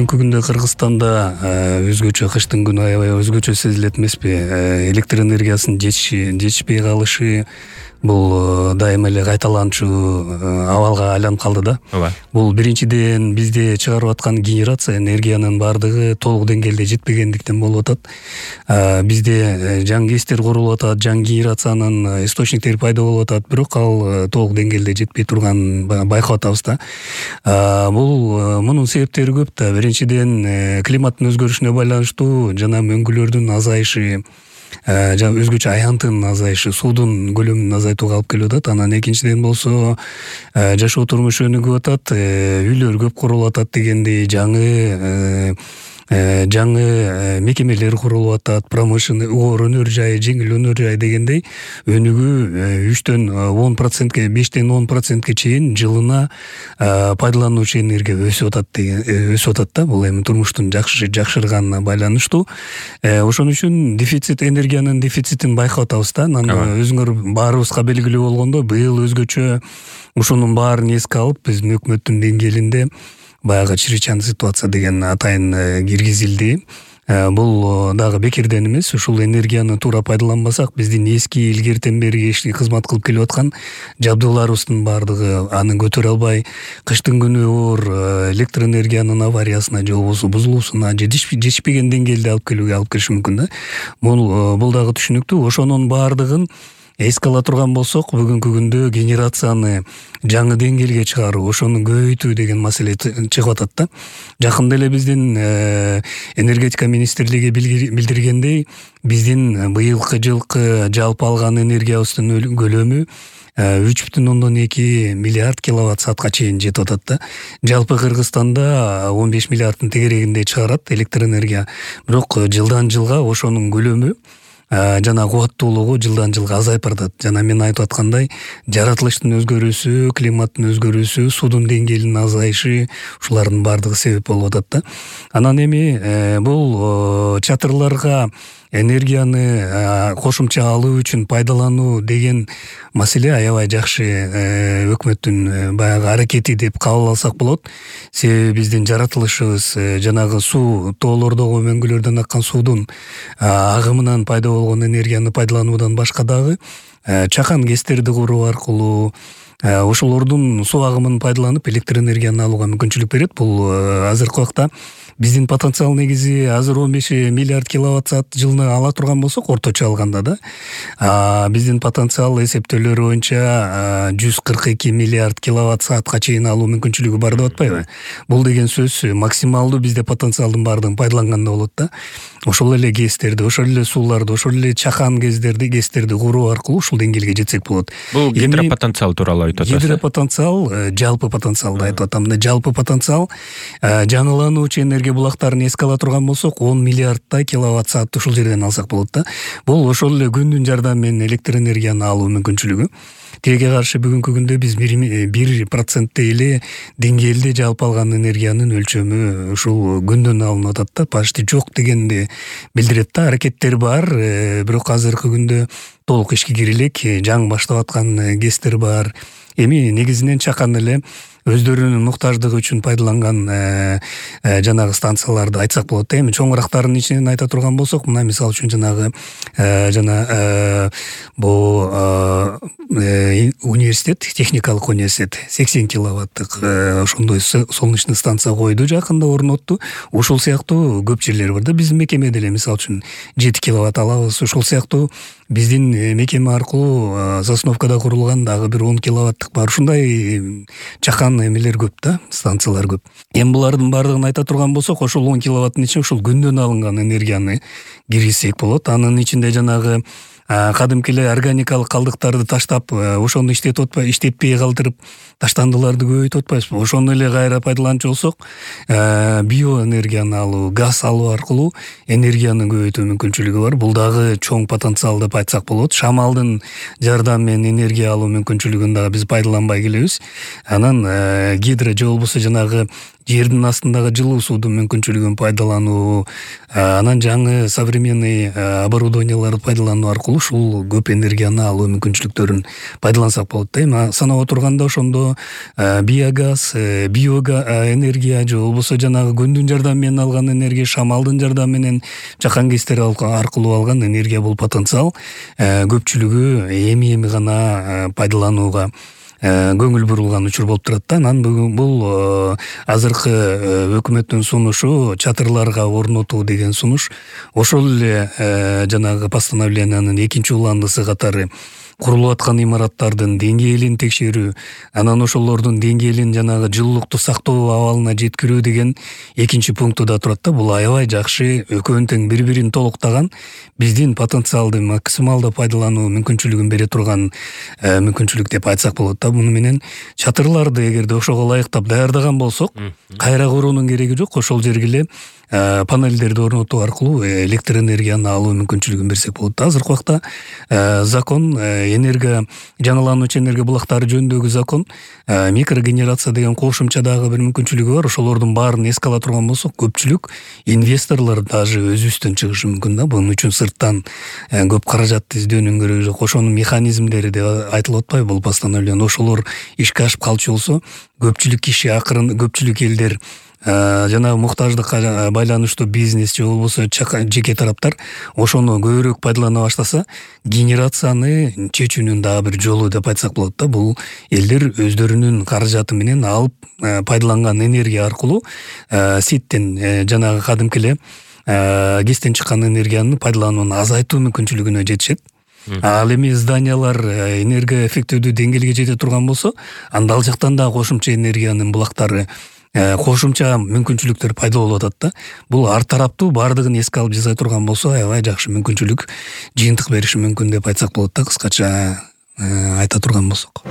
Бүгүнкү күндө Кыргызстанда өзгөчө кыштын күнү аябай өзгөчө сезилет эмеспи? Электр энергиясынын жетишпей калышы бул дайыма эле кайталанчу абалга айланып калды да. Ооба. Бул биринчиден бизде чыгарып аткан генерация энергиянын баардыгы толук деңгээлде жетпегендиктен болуп атат. Бизде жаңы КЭСтер курулуп атат, жаңы генерациянын источниктери пайда болуп атат, бирок ал толук деңгээлде жетпей турганын байкап атабыз да. Бул мунун себептери көп да. Биринчиден климаттын өзгөрүшүнө байланыштуу жана мөңгүлөрдүн азайышы, өзгөчө аянтынын азайышы, суудун көлөмүн азайтууга алып келип атат. Анан экинчиден болсо жашоо турмушу өнүгүп атат, үйлөр көп курулуп атат дегендей, жаңы мекемелер курулуп атат, промышленный оор өнөр жай, жеңил өнөр жай дегендей өнүгүү 3-төн 10%, 5-тен 10% чейин жылына пайдалануучу энергия өсүп атат да. Бул эми турмуштун жакшырганына байланыштуу. Ошон үчүн энергиянын дефицитин байкап атабыз да. Анан өзүңөр баарыбызга белгилүү болгондой, быйыл өзгөчө ушунун баарын эске алып, биздин өкмөттүн деңгээлинде баягы чрезвычайный ситуация деген атайын киргизилди. Бул дагы бекерден эмес. Ушул энергияны туура пайдаланбасак, биздин эски илгертен бери кызмат кылып келип аткан жабдууларыбыздын баардыгы аны көтөрө албай, кыштын күнү оор электр энергиянын авариясына же болбосо бузулуусуна, жетишпеген деңгээлде алып келиши мүмкүн да. Бул дагы түшүнүктүү. Ошонун баардыгын эске ала турган болсок, бүгүнкү күндө генерацияны жаңы деңгээлге чыгаруу, ошону көбөйтүү деген маселе чыгып атат да. Жакында эле биздин энергетика министрлиги билдиргендей, биздин быйылкы жылкы жалпы алган энергиябыздын көлөмү 3,2 миллиард киловатт саатка чейин жетип атат да. Жалпы Кыргызстанда 15 миллиардтын тегерегинде чыгарат электр энергия. Бирок жылдан жылга ошонун көлөмү жана кубаттуулугу жылдан жылга азайып баратат. Жана мен айтып аткандай, жаратылыштын өзгөрүүсү, климаттын өзгөрүүсү, суудун деңгээлинин азайышы, ушулардын баардыгы себеп болуп атат да. Анан эми бул чатырларга энергияны кошумча алуу үчүн пайдалануу деген маселе аябай жакшы өкмөттүн баягы аракети деп кабыл алсак болот. Себеби биздин жаратылышыбыз жанагы суу, тоолордогу мөңгүлөрдөн аккан суудун агымынан пайда болгон энергияны пайдалануудан башка дагы чакан КЭСтерди куруу аркылуу ошолордун суу агымын пайдаланып электр энергияны алууга мүмкүнчүлүк берет. Бул азыркы убакта биздин потенциал негизи азыр 15 миллиард киловатт саат жылына ала турган болсок, орточо алганда да, биздин потенциал эсептөөлөр боюнча 142 миллиард киловатт саатка чейин алуу мүмкүнчүлүгү бар деп атпайбы? Бул деген сөз максималдуу бизде потенциалдын баардыгын пайдаланганда болот да. Ошол эле КЭСтерди, ошол эле сууларды, ошол эле чакан КЭСтерди куруу аркылуу ушул деңгээлге жетсек болот. Бул гидропотенциал тууралуу айтып атасыз. Гидропотенциал, жалпы потенциалды айтып атам. Жалпы потенциал жаңылануучу энергия булактарын эске ала турган болсок, 10 миллиардтай киловатт саатты ушул жерден алсак болот да. Бул ошол эле күндүн жардамы менен электр энергияны алуу мүмкүнчүлүгү. Тиеге каршы бүгүнкү күндө биз 1% эле деңгээлде жалпы алган энергиянын өлчөмү ушул күндөн алынып атат да. Почти жок дегенди билдирет да. Аракеттер бар, бирок азыркы күндө толук ишке кире элек, жаңы баштап аткан КЭСтер бар. Эми негизинен чакан эле өздөрүнүн муктаждыгы үчүн пайдаланган жанагы станцияларды айтсак болот да. Эми чоңурактарын ичинен айта турган болсок, мына мисалы үчүн жанагы бул университет, техникалык университет 80 киловаттык ошондой солнечный станция койду, жакында орнотту. Ушул сыяктуу көп жерлер бар да. Биздин мекеме деле мисалы үчүн 7 киловатт алабыз. Ушул сыяктуу биздин мекеме аркылуу Сосновкада курулган дагы бир 10 киловаттык бар. Ушундай чакан эмелер көп да, станциялар көп. Эми булардын баардыгын айта турган болсок, ошол 10 киловаттын ичине ушул күндөн алынган энергияны киргизсек болот. Анын ичинде жанагы кадимки эле органикалык калдыктарды таштап, ошону иштетпей калтырып, таштандыларды көбөйтүп атпайбызбы? Ошону эле кайра пайдаланчу болсок, биоэнергияны алуу, газ алуу аркылуу энергияны көбөйтүү мүмкүнчүлүгү бар. Бул дагы чоң потенциал деп айтсак болот. Шамалдын жардамы менен энергия алуу мүмкүнчүлүгүн дагы биз пайдаланбай келебиз. Анан гидро же болбосо жанагы жердин астындагы жылуу суудун мүмкүнчүлүгүн пайдалануу, анан жаңы современный оборудованияларды пайдалануу аркылуу ушул көп энергияны алуу мүмкүнчүлүктөрүн пайдалансак болот да. Эми санап отурганда ошондо биогаз, энергия же болбосо жанагы күндүн жардамы менен алган энергия, шамалдын жардамы менен, жакан кесиптер аркылуу алган энергия бул потенциал көпчүлүгү эми гана пайдаланууга көңүл бурулган учур болуп турат да. Анан бул азыркы өкмөттүн сунушу чатырларга орнотуу деген сунуш. Ошол эле жанагы постановлениянын 2-уландысы катары курулуп аткан имараттардын деңгээлин текшерүү, анан ошолордун деңгээлин жанагы жылуулукту сактоо абалына жеткирүү деген 2-пункту да турат да. Бул аябай жакшы, экөөнүн тең бири-бирин толуктаган, биздин потенциалды максималдуу пайдалануу мүмкүнчүлүгүн бере турган мүмкүнчүлүк деп айтсак болот да. Муну менен чатырларды эгерде ошого ылайыктап даярдаган болсок, кайра куруунун кереги жок. Ошол жерге эле панелдерди орнотуу аркылуу электр энергияны алуу мүмкүнчүлүгүн берсек болот. Азыркы убакта закон, жаңылануучу энергия булактары жөнүндөгү закон, микрогенерация деген кошумча дагы бир мүмкүнчүлүгү бар. Ошолордун баарын эске ала турган болсок, көпчүлүк инвесторлор даже өзүбүздөн чыгышы мүмкүн да. Бунун үчүн сырттан көп каражат издөөнүн кереги жок. Ошонун механизмдери деп айтылып атпайбы бул постановление. Ошолор ишке ашып калчу болсо, көпчүлүк киши, көпчүлүк элдер, жана муктаждыкка байланыштуу бизнес же болбосо жеке тараптар ошону көбүрөөк пайдалана баштаса, генерацияны чечүүнүн дагы бир жолу деп айтсак болот да. Бул элдер өздөрүнүн каражаты менен алып пайдаланган энергия аркылуу сеттен жанагы кадимки эле ГЭСтен чыккан энергияны пайдаланууну азайтуу мүмкүнчүлүгүнө жетишет. Ал эми зданиялар энергия эффективдүү деңгээлге жете турган болсо, анда ал жактан да кошумча энергиянын булактары, кошумча мүмкүнчүлүктөр пайда болуп атат да. Бул ар тараптуу баардыгын эске алып жасай турган болсо, аябай жакшы мүмкүнчүлүк, жыйынтык бериши мүмкүн деп айтсак болот да, кыскача айта турган болсок.